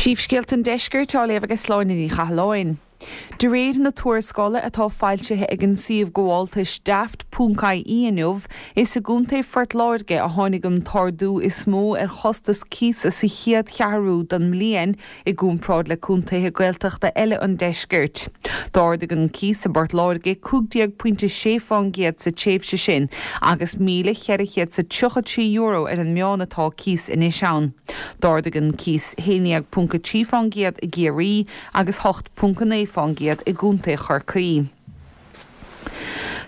Príomhscéalta an Deiscirt á léamh ag Sláine Ní Chathalláin. De réir na tuarascála atá foilsithe ag an suíomh gabháltais Daft ponc ie inniu, is i gContae Phort Láirge a tháinig an t-ardú is mó ar chostas cíosa sa chéad cheathrú den mbliain i gcomparáid le contaetha Gaeltachta eile an deiscirt. D'ardaigh an cíos i bPort Láirge 15 pointe 6 fán gcéad sa tréimhse sin agus €1,433 ar an meán atá cíos anois ann. D'ardaigh an cíos 11.3 fán gcéad i gCiarraí agus 8.9 fán gcéad i gContae Chorcaí.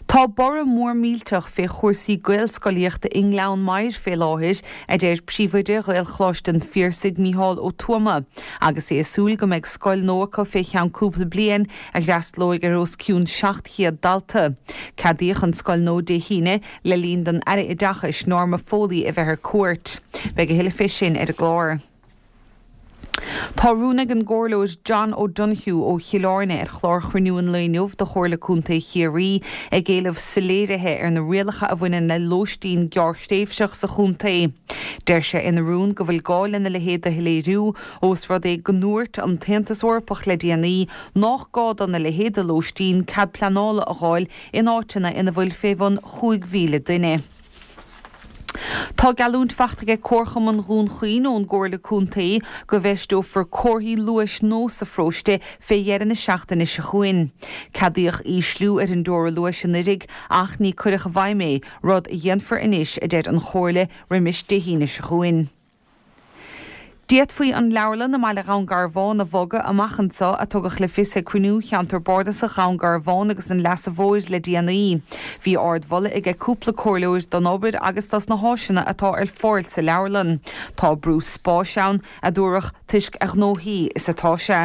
Tá borradh mór millteach fé chúrsaí Gaelscolaíochta i nGleann Maghair fé láthair, a deir Príomhoide Ghaelcholáiste an Phiarsaigh, Micheál Ó Tuama, agus é ag súil go mbeidh scoil nua acu fé cheann cúpla bliain a fhreastalóidh ar os cionn 700 dalta. Ceadaíodh an scoil nua Dé hAoine le linn don Aire Oideachais, Norma Foley a bheith ar cuairt. Beidh a thuilleadh fé sin ar an gclár. Tá rún ag an gComhairleoir John O'Donoghue ó Chill Airne ar chlár chruinniú an lae inniu de Chomhairle Contae Chiarraí ag éileamh soiléirithe ar na rialacha a bhaineann le lóistín gearrthréimhseach sa chontae. Deir sé ina rún go bhfuil gá lena leithéid de shoiléiriú ós rud é go ndúirt an tAontas Eorpach le déanaí nách gá dona leithéid de lóistín cead pleanála a dh'fháil in áiteanna ina bhfuil fé bhun 5,000 duine. Tá geallúint fachta aige Comharchumann Dhún Chaoin ón gComhairle Contae go bhfeisteofar comharthaí luais nua sa pharóiste fé dheireadh na seachtaine seo chugainn. Ceadaíodh ísliú ar an dteora luais anuiridh ach ní cuireadh i bhfeidhm é, rud a dhéanfar anois, a deir an Chomhairle, roimis Dé hAoine seo chugainn. D'fhéadfaí an leabharlann i mbaile Dhún Garbhán a bhogadh amach anseo, a tugadh le fios ag cruinniú Cheantar Bardasach Dhún Garbhán agus an Leasa Mhóir le déanaí. Bhí ardmholadh aige cúpla comhairleoir don obair agus dos na háiseanna atá ar fáil sa leabharlann. Tá brú spáis ann, a dúradh, toisc a ghnóthaí is atá sé.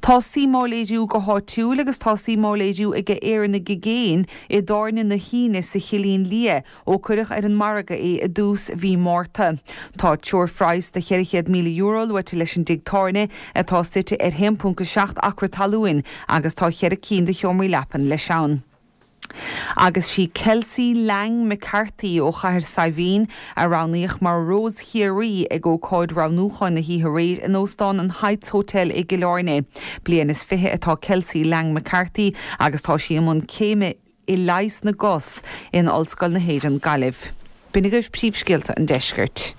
Tá suim á léiriú go háitiúil agus tá suim á léiriú aige Éireannaigh i gcéin i dTábhairne na hAoine sa Chillín Liath ó cuireadh ar an margadh é i dtús mhí Márta. Tá treoirphraghas de €400,000 luaite leis an dtigh tábhairne atá suite ar 1.7 acra talúin agus tá cheithre cinn de sheomraí leapan leis ann. Agus sí Kelsey Lang McCarthy ó Chathair Saidhbhín a roghnaíodh mar Rós Chiarraí ag ócáid roghnúcháin na hoíche aréir in Óstán an Heights Hotel i gCill Airne. Bliain is fiche atá Kelsey Lang McCarthy agus tá sí i mbun céime i Leigheas na gCos in Ollscoil na hÉireann, Gaillimh. B'in agaibh príomhscéalta an deiscirt.